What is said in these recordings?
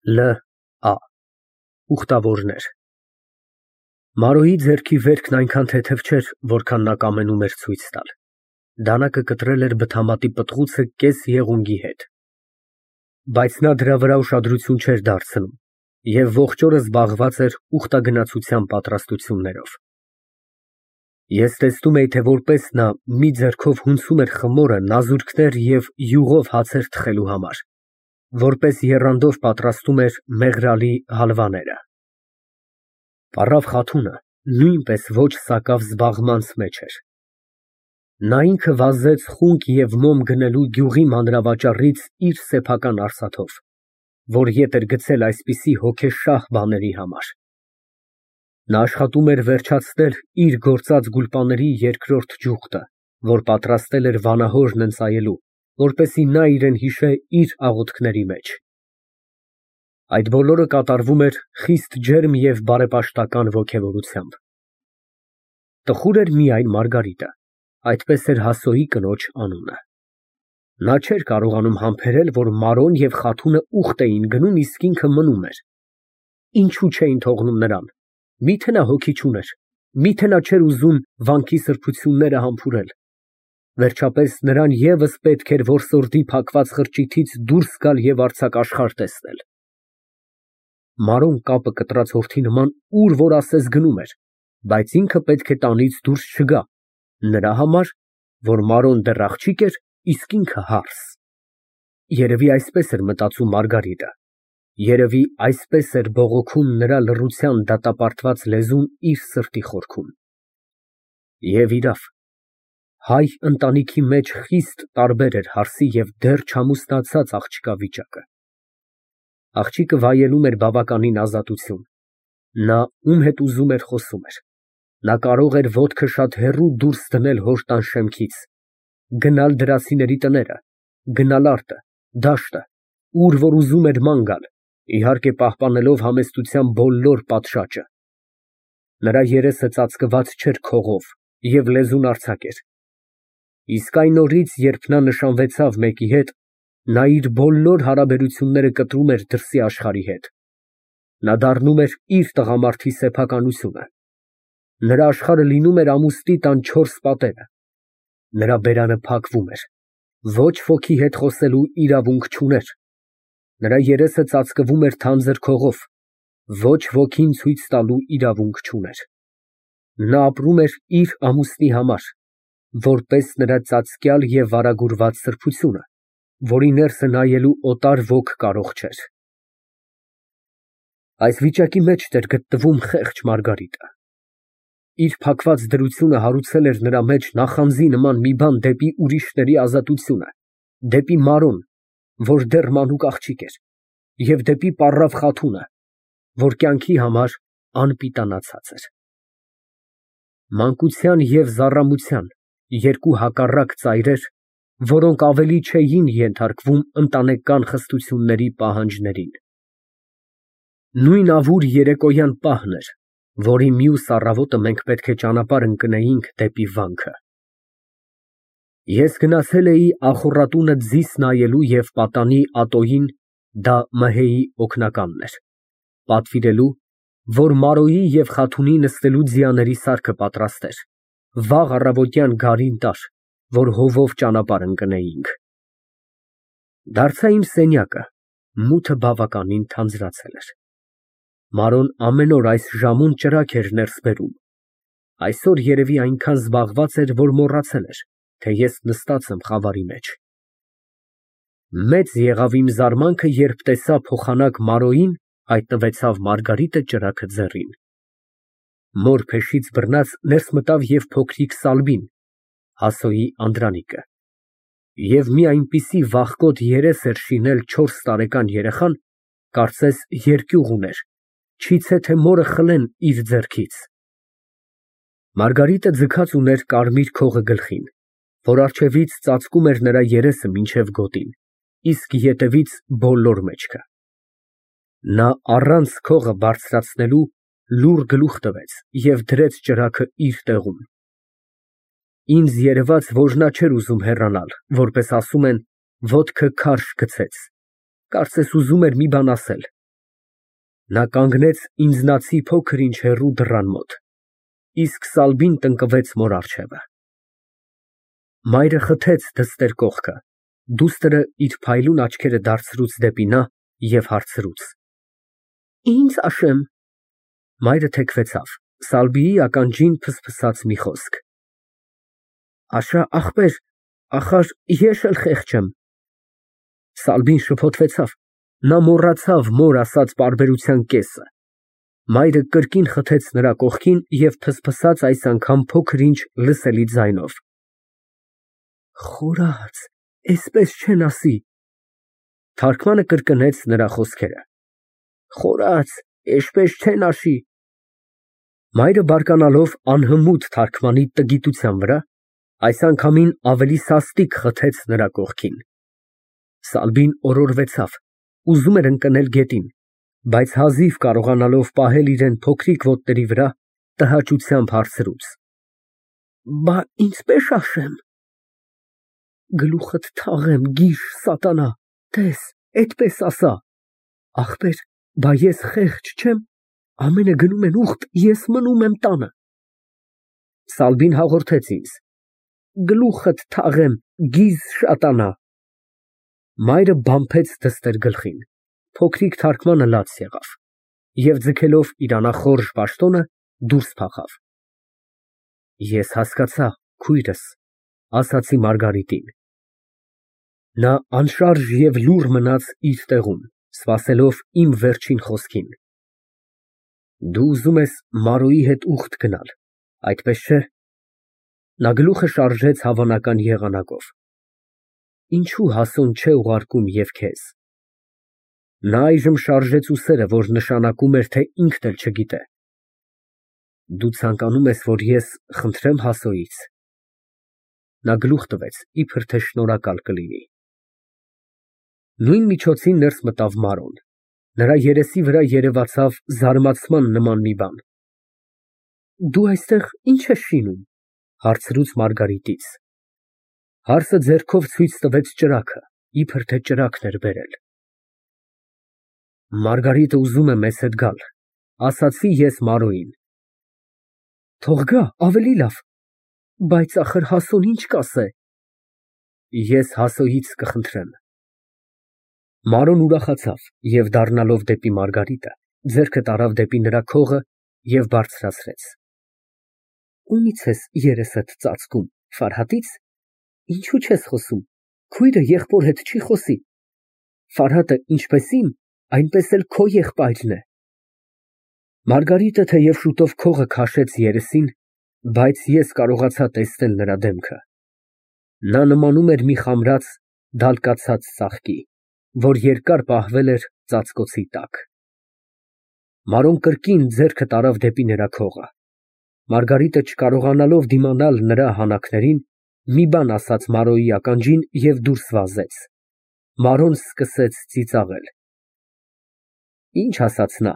Լ. Ուխտավորներ Մարոյի ձեռքի վերքն այնքան թեթև չէր, որքան նա կամենում էր ցույց տալ։ Դանակը կտրել էր բթամատի պտղուցը կես եղունգի հետ։ Բայց նա դրա վրա ուշադրություն չէր դարձնում և ողջ օրը զբաղված էր ուխտագնացության պատրաստություններով։ Ես տեսնում էի, թե որպես նա մի ձեռքով հունցում էր խմորը նազուրկներ և յուղով հացեր թխելու համար, որպես եռանդով պատրաստում էր մեղրալի հալվաները։ Պառավ Խաթունը նույնպես ոչ սակավ զբաղմանց մեջ էր։ Նա ինքը վազեց խունկ և մոմ գնելու գյուղի մանրավաճառից իր սեփական արսաթով, որ ետ էր գցել այսպիսի հոգեշահ բաների համար։ Նա աշխատում էր վերջացնել իր գործած գուլպաների երկրորդ ճյուղտը, որ պատրաստել էր վանահորն ընծայելու, որպեսզի նա իրեն հիշե իր աղոթքների մեջ։ Այդ բոլորը կատարվում էր խիստ ջերմ և բարեպաշտական ոգևորությամբ։ Տխուր էր միայն Մարգարիտը, այդպես էր Հասոյի կնոջ անունը։ Նա չէր կարողանում համբերել, որ Մարոն և Խաթունը ուխտ էին գնում, իսկ ինքը մնում էր։ Ինչու չէին թողնում նրան։ Միթե նա հոգի չուներ, միթե նա չէր ուզում վանքի սրբությունները համբուրել։ Վերջապես նրան ևս պետք էր որսորդի փակված խրճիթից դուրս գալ և արձակաշխարհ տեսնել։ Մարոն կապը կտրած հորթի նման ուր որ ասես գնում էր, բայց ինքը պետք է տանից դուրս չգա, նրա համար, որ Մարոն դեռ աղջիկ էր, իսկ ինքը հարս։ Երևի այսպես էր մտածում Մարգարիտը, երևի այսպես էր բողոքում նրա լռության դատապարտված լեզուն իր սրտի խորքում։ Եվ իրավ, հայ ընտանիքի մեջ խիստ տարբեր էր հարսի և դեռ չամուսնացած աղջկա վիճակը։ Աղջիկը վայելում էր բավականին ազատություն։ Նա ում հետ ուզում էր խոսում էր։ Նա կարող էր ոտքը շատ հեռու դուրս դնել հոր տան շեմքից, գնալ դրացիների տները, գնալ արտը, դաշտը, ուր որ ուզում էր ման գալ, իհարկե պահպանելով համեստության բոլոր պատշաճը։ Նրա երեսը ծածկված չէր քողով և լեզուն արձակ էր։ Իսկ այն օրից, երբ նա նշանվեցավ մեկի հետ, նա իր բոլոր հարաբերությունները կտրում էր դրսի աշխարհի հետ։ Նա դառնում էր իր տղամարդի սեփականությունը։ Նրա աշխարհը լինում էր ամուսնի տան չորս պատերը։ Նրա բերանը փակվում էր։ Ոչ ոքի հետ խոսելու իրավունք չուներ։ Նրա երեսը ծածկվում էր թանձր քողով։ Ոչ ոքին ցույց տալու իրավունք չուներ։ Նա ապրում էր իր ամուսնի համար, որպես նրա ծածկյալ և վարագուրված սրբությունը, որի ներսը նայելու օտար ոք կարող չէր։ Այս վիճակի մեջ էր գտնվում խեղճ Մարգարիտը։ Իր փակված դրությունը հարուցել էր նրա մեջ նախանձի նման մի բան դեպի ուրիշների ազատությունը, դեպի Մարոն, որ դեռ մանուկ աղջիկ էր, և դեպի պառավ Խաթունը, որ կյանքի համար անպիտանացած էր։ Մանկության և զառամության երկու հակառակ ծայրեր, որոնք ավելի չէին ենթարկվում ընտանեկան խստությունների պահանջներին։ Նույն ավուր երեկոյան պահն էր, որի մյուս առավոտը մենք պետք է ճանապարհ ընկնեինք դեպի վանքը։ Ես գնացել էի ախոռատունը ձիզ նայելու և պատանի Ատոյին (դա Մհեյի օգնականն էր) պատվիրելու, որ Մարոյի և Խաթունի նստելու ձիաների սարքը պատրաստեր, վաղ առավոտյան գարին տար, որ հովով ճանապարհ ընկնեինք։ Դարձա իմ սենյակը, մութը բավականին թանձրացել էր։ Մարոն ամեն օր այս ժամուն ճրագ էր ներս բերում։ Այսօր երևի այնքան զբաղված էր, որ մոռացել էր, թե ես նստած եմ խավարի մեջ։ Մեծ եղավ իմ զարմանքը, երբ տեսա փոխանակ Մարոյին, հայտնվեցավ Մարգարիտը ճրագը ձեռին։ Մոր փեշից բռնած ներս մտավ և փոքրիկ Սալբին, Հասոյի անդրանիկը։ Եվ մի այնպիսի վախկոտ երես էր շինել 4 տարեկան երեխան, կարծես երկյուղ ուներ, չիցե թե մորը խլեն իր ձեռքից։ Մարգարիտը ձգած ուներ կարմիր քողը գլխին, որ առջևից ծածկում էր նրա երեսը մինչև գոտին, իսկ ետևից բոլոր մեջքը։ Նա առանց քողը բարձրացնելու լուռ գլուխ տվեց և դրեց ճրագը իր տեղում։ Ինձ երևաց, որ նա չէր ուզում հեռանալ, որպես ասում են, ոտքը քարշ գցեց, կարծես ուզում էր մի բան ասել, Նա կանգնեց ինձնացի փոքր ինչ հեռու դռան մոտ, իսկ Սալվին տնկվեց մոր առջևը։ Մայրը խթեց դստեր կողքը, դուստրը իր փայլուն աչքերը դարձրուց դեպի նա և հարցրուց. Ինձ աշեմ։ Մայրը թեքվեցավ, Սալվիի ականջին փսփսաց մի խոսք. Աշա ախպեր, ախար ես էլ խեղճ եմ։ Սալվին շփոթվեցավ, նա մոռացավ մոր ասած պարբերության կեսը։ Մայրը կրկին խթեց նրա կողքին և փսփսաց այս անգամ փոքր ինչ լսելի ձայնով. Խորաց, էսպես չեն ասի։ Թարգմանը կրկնեց նրա խոսքերը. Խորաց, էսպես չեն ասի։ Մայրը բարկանալով անհմուտ թարգմանի տգիտության վրա, այս անգամին ավելի սաստիկ խթեց նրա կողքին։ Սալվին օրորվեցավ, ուզում էր ընկնել գետին, բայց հազիվ կարողանալով պահել իրեն փոքրիկ ոտների վրա, տհաճությամբ հարցրուց. Բա ինչպես աշեմ։ Գլուխդ թաղեմ, գիժ սատանա, տես, էդպես ասա։ Ախպեր, բա ես խեղճ չեմ, ամենը գնում են ուխտ, ես մնում եմ տանը։ Սալվին հաղորդեց ինձ. Գլուխդ թաղեմ, գիզ շատանա։ Մայրը բամփեց դստեր գլխին, փոքրիկ թարգմանը լաց եղավ և ձգելով իր անախորժ պաշտոնը դուրս փախավ։ Ես հասկացա, քույրս, ասացի Մարգարիտին։ Նա անշարժ և լուռ մնաց իր տեղում, սպասելով իմ վերջին խոսքին։ Դու ուզում ես Մարոյի հետ ուխտ գնալ, այդպես չէ։ Նա գլուխը շարժեց հավանական եղանակով։ Ինչու հասուն չէ ուղարկում և քեզ։ Նա այժմ շարժեց ուսերը, որ նշանակում էր, թե ինքն էլ չգիտե։ Դու ցանկանում ես, որ ես խնդրեմ Հասոյից։ Նա գլուխ տվեց, իբր թե շնորհակալ կլինի։ Նույն միջոցին ներս մտավ Մարոն։ Նրա երեսի վրա երևացավ զարմացման նման մի բան։ Դու այստեղ ի՞նչ ես շինում, հարցրուց Մարգարիտից։ Հարսը ձեռքով ցույց տվեց ճրագը, իբր թե ճրագն էր բերել։ Մարգարիտը ուզում է մեզ հետ գալ, ասացի ես Մարոյին։ Թող գա, ավելի լավ, բայց ախր Հասոն ինչ կասե։ Ես Հասոյից կխնդրեմ։ Մարոն ուրախացավ և դառնալով դեպի Մարգարիտը, ձեռքը տարավ դեպի նրա քողը և բարձրացրեց։ Ումի՞ց ես երեսդ ծածկում, Ֆարհատից։ Ինչու չես խոսում, քույրը եղբոր հետ չի խոսի։ Ֆարհատը ինչպես իմ, այնպես էլ քո եղբայրն է։ Մարգարիտը թեև շուտով քողը քաշեց երեսին, բայց ես կարողացա տեսնել նրա դեմքը։ Նա նմանում էր մի խամրած, դալկացած ծաղկի, որ երկար պահվել էր ծածկոցի տակ։ Մարոն կրկին ձեռքը տարավ դեպի նրա քողը։ Մարգարիտը չկարողանալով դիմանալ նրա հանակներին, մի բան ասաց Մարոյի ականջին և դուրս վազեց։ Մարոն սկսեց ծիծաղել։ Ինչ ասաց նա։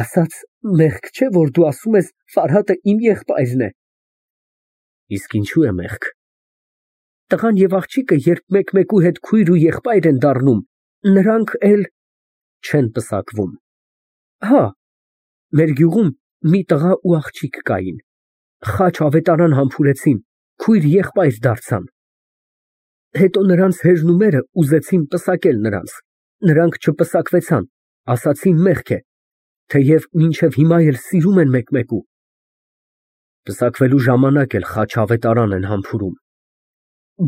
Ասաց, մեղք չէ, որ դու ասում ես Ֆարհատը իմ եղբայրն է։ Իսկ ինչու է մեղք։ Տղան և աղջիկը, երբ մեկ֊մեկու հետ քույր ու եղբայր են դառնում, նրանք էլ չեն պսակվում։ Հա, մեր գյուղում մի տղա ու աղջիկ կային, խաչ ավետարան համբուրեցին, քույր֊եղբայր դարձան։ Հետո նրանց հեզնումերը ուզեցին պսակել նրանց, նրանք չպսակվեցան, ասացին մեղք է, թեև մինչև հիմա էլ սիրում են մեկ֊մեկու։ Պսակվելու ժամանակ էլ խաչ ավետարան են համբուրում։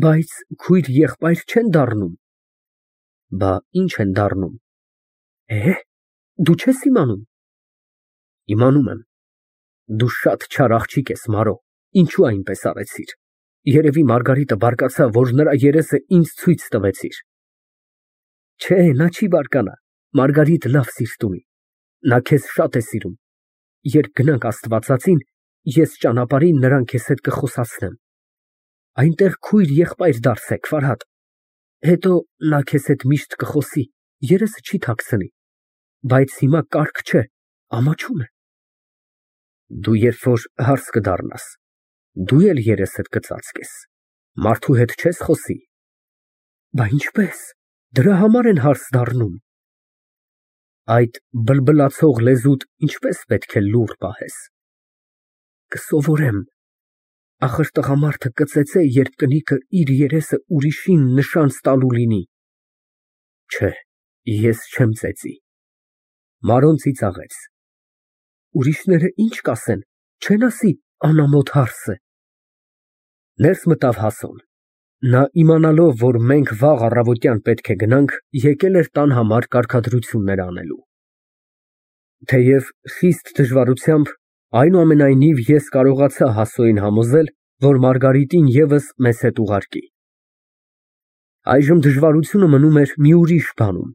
Բայց քույր֊եղբայր չեն դառնում։ Բա ինչ են դառնում։ Դու չես իմանում։ Իմանում եմ։ Դու շատ չար աղջիկ ես, Մարո, ինչու այնպես արեցիր։ Երևի Մարգարիտը բարկացավ, որ նրա երեսը ինձ ցույց տվեցիր։ Չէ, նա չի բարկանա, Մարգարիտը լավ սիրտ ունի։ Նա քեզ շատ է սիրում։ Երբ գնանք Աստվածածին, ես ճանապարհին նրան քեզ հետ կխոսացնեմ։ Այնտեղ քույր-եղբայր դարձեք, Ֆարհատ։ Հետո նա քեզ հետ միշտ կխոսի, երեսը չի թաքցնի։ Բայց հիմա կարգ չէ, ամաչում է։ Դու երբ որ հարս կդառնաս, դու էլ երեսդ կծածկես, մարդու հետ չես խոսի։ Բա ինչպես, դրա համար են հարս դառնում։ Այդ բլբլացող լեզուդ ինչպես պետք է լուռ պահես։ Կսովորեմ, ախր տղամարդը կծեծե, երբ կնիկը իր երեսը ուրիշին նշանց տալու լինի։ Չէ, ես չեմ ծեծի։ Մարոն ծիծաղեց։ Ուրիշները ինչ կասեն, չեն ասի անամոթ հարս է։ Ներս մտավ Հասոն։ Նա իմանալով, որ մենք վաղ առավոտյան պետք է գնանք, եկել էր տան համար կարգադրություններ անելու։ Թեև խիստ դժվարությամբ, այնուամենայնիվ ես կարողացա Հասոյին համոզել, որ Մարգարիտին ևս մեզ հետ ուղարկի։ Այժմ դժվարությունը մնում էր մի ուրիշ բանում։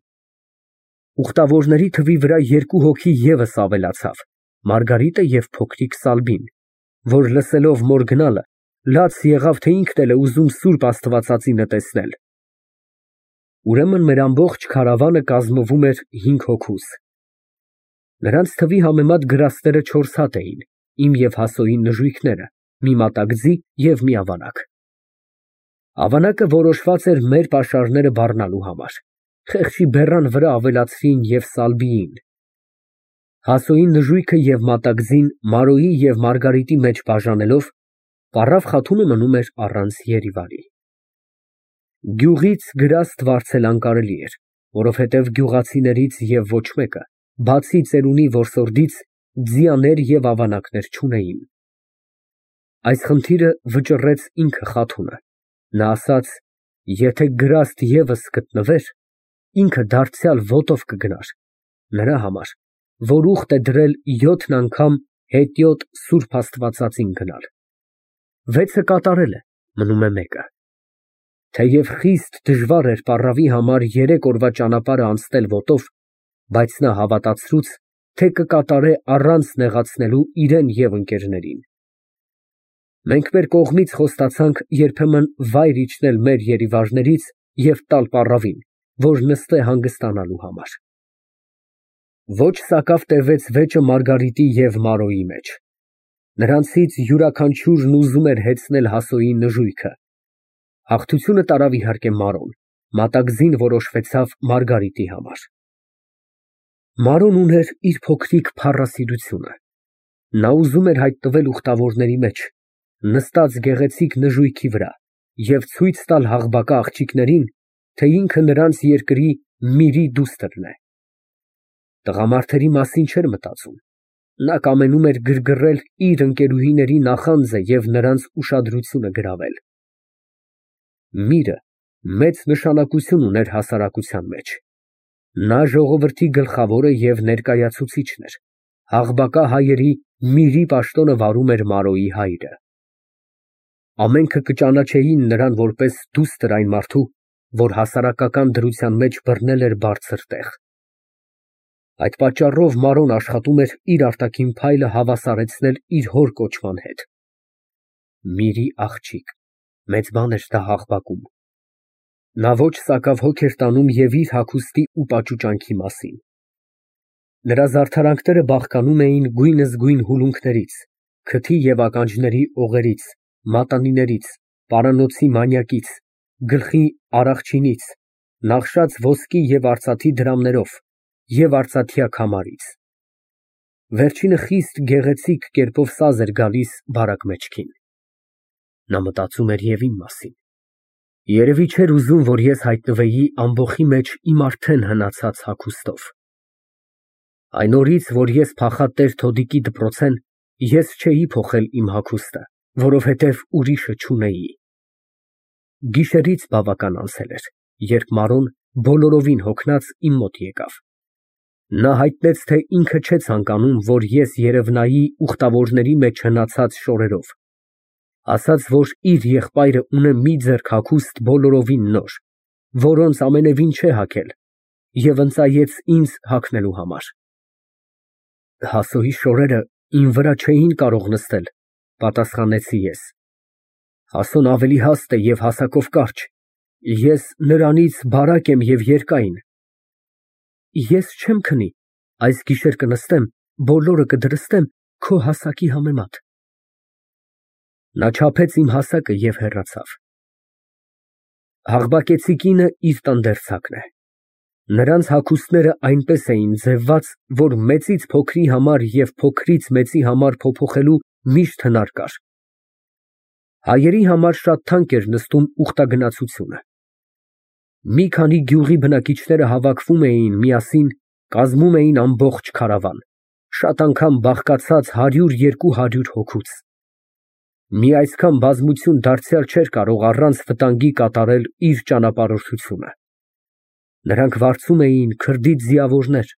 Ուխտավորների թվի վրա երկու հոգի ևս ավելացավ, Մարգարիտը և փոքրիկ Սալբին, որ լսելով մոր գնալը, լաց եղավ, թե ինքն էլ է ուզում սուրբ Աստվածածինը տեսնել։ Ուրեմն մեր ամբողջ քարավանը կազմվում էր 5 հոգուց։ Նրանց թվի համեմատ գրաստները 4 հատ էին, իմ և Հասոյի նժույգները, մի մատակձի և մի ավանակ։ Ավանակը որոշված էր մեր պաշարները բառնալու համար, խեղճի բեռան վրա ավելացրին և Սալբիին։ Հասոյի նժույգը և մատակձին Մարոյի և Մարգարիտի մեջ բաժանելով, Պառավ Խաթունը մնում էր առանց Երիվարի։ Գյուղից գրաստ վարձել անկարելի էր, որովհետև գյուղացիներից և ոչ մեկը, բացի ծերունի որսորդից, ձիաներ և ավանակներ չունեին։ Այս խնդիրը վճռեց ինքը Խաթունը։ Նա ասաց, եթե գրաստ ևս գտնվեր, ինքը դարձյալ ոտով կգնար, նրա համար, որ ուխտ է դրել 7 անգամ հետիոտ սուրբ Աստվածածին գնալ։ 6-ը կատարել է, մնում է մեկը։ Թեև խիստ դժվար էր պառավի համար 3 օրվա ճանապարհը անցնել ոտով, բայց նա հավատացրուց, թե կկատարե առանց նեղացնելու իրան և ընկերներին։ Մենք մեր կողմից խոստացանք երբեմն վայր իջնել մեր երիվարներից և տալ պառավին, որ նստե հանգստանալու համար։ Ոչ սակավ տևեց վեճը Մարգարիտի և Մարոյի մեջ։ Նրանցից յուրաքանչյուրն ուզում էր հեծնել Հասոյի նժույգը։ Հաղթությունը տարավ իհարկե Մարոն, մատակձին որոշվեցավ Մարգարիտի համար։ Մարոն ուներ իր փոքրիկ փառասիրությունը։ Նա ուզում էր հայտնվել ուխտավորների մեջ, նստած գեղեցիկ նժույգի վրա և ցույց տալ Աղբակա աղջիկներին, թե ինքը նրանց երկրի Միրի դուստրն է։ Տղամարդերի մասին չէր մտածում։ Նա կամենում էր գրգռել իր ընկերուհիների նախանձը և նրանց ուշադրությունը գրավել։ Միրը մեծ նշանակություն ուներ հասարակության մեջ։ Նա ժողովրդի գլխավորը և ներկայացուցիչն էր։ Աղբակա հայերի Միրի պաշտոնը վարում էր Մարոյի հայրը։ Ամենքը կճանաչեին նրան որպես դուստր այն մարդու, որ հասարակական դրության մեջ բռնել էր բարձր տեղ։ Այդ պատճառով Մարոն աշխատում էր իր արտաքին փայլը հավասարեցնել իր հոր կոչման հետ։ Միրի աղջիկ, մեծ բան էր դա Աղբակում։ Նա ոչ սակավ հոգ էր տանում և իր հագուստի ու պաճուճանքի մասին։ Նրա զարդարանքները բաղկանում էին գույնզգույն հուլունքներից, քթի և ականջների օղերից, մատանիներից, պարանոցի մանյակից, գլխի առախչինից, նախշած ոսկի և արծաթի դրամներով և արծաթյա քամարից։ Վերջինը խիստ գեղեցիկ կերպով սազ էր գալիս բարակ մեջքին։ Նա մտածում էր և իմ մասին։ Երևի չէր ուզում, որ ես հայտնվեի ամբոխի մեջ իմ արդեն հնացած հագուստով։ Այն օրից, որ ես փախա տեր-Թոդիկի դպրոցեն, ես չէի փոխել իմ հագուստը, որովհետև ուրիշը չունեի։ Գիշերից բավական անցել էր, երբ Մարոն բոլորովին հոգնած իմ մոտ եկավ։ Նա հայտնեց, թե ինքը չէ ցանկանում, որ ես երևնայի ուխտավորների մեջ հնացած շորերով, ասաց, որ իր եղբայրը ունե մի ձեռք հագուստ բոլորովին նոր, որոնց ամենևին չէ հագել, և ընծայեց ինձ հագնելու համար։ Հասոյի շորերը իմ վրա չէին կարող նստել, պատասխանեցի ես։ Հասոն ավելի հաստ է և հասակով կարճ, ես նրանից բարակ եմ և երկայն։ Ես չեմ քնի, այս գիշեր կնստեմ, բոլորը կդրստեմ քո հասակի համեմատ։ Նա չափեց իմ հասակը և հեռացավ։ Աղբակեցի կինը իր տանդերձակն է։ Նրանց հագուստները այնպես էին ձևված, որ մեծից փոքրի համար և փոքրից մեծի համար փոփոխելու միշտ հնար կար։ Հայերի համար շատ թանկ էր նստում ուխտագնացությունը։ Մի քանի գյուղի բնակիչները հավաքվում էին միասին, կազմում էին ամբողջ քարավան, շատ անգամ բաղկացած 100-200 հոգուց։ Մի այսքան բազմություն դարձյալ չէր կարող առանց վտանգի կատարել իր ճանապարհորդությունը։ Նրանք վարձում էին քրդից ձիավորներ,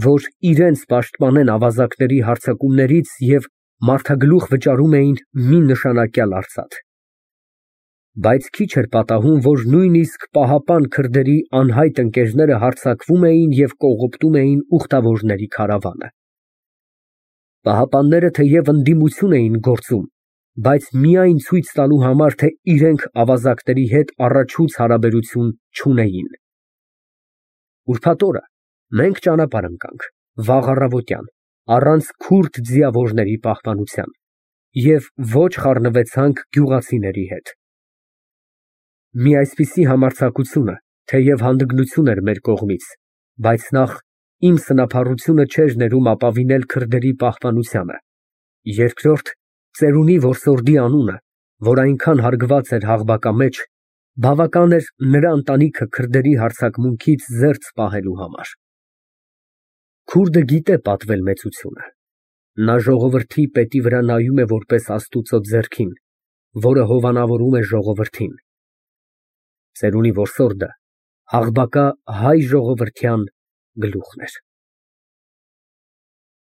որ իրենց պաշտպանեն ավազակների հարձակումներից և մարդագլուխ վճարում էին մի նշանակյալ արծաթ։ Բայց քիչ էր պատահում, որ նույնիսկ պահապան քրդերի անհայտ ընկերները հարձակվում էին և կողոպտում էին ուխտավորների քարավանը։ Պահապանները թեև ընդդիմություն էին գործում, բայց միայն ցույց տալու համար, թե իրենք ավազակների հետ առաջուց հարաբերություն չունեին։ Ուրբաթ օրը մենք ճանապարհ ընկանք, վաղ առավոտյան, առանց քուրդ ձիավորների պահպանության և ոչ խառնվեցանք գյուղացիների հետ։ Մի այսպիսի համարձակությունը թեև հանդգնություն էր մեր կողմից, բայց նախ իմ սնափառությունը չէր ներում ապավինել քրդերի պահպանությանը, երկրորդ ծերունի որսորդի անունը, որ այնքան հարգված էր Աղբակա մեջ, բավական էր նրա ընտանիքը քրդերի հարձակմունքից զերծ պահելու համար։ Քուրդը գիտե պատվել մեծությունը։ Նա ժողովրդի պետի վրա նայում է որպես Աստուծո ձեռքին, որը հովանավորում է ժողովրդին։ Ծերունի որսորդը Աղբակա հայ ժողովրդյան գլուխն էր։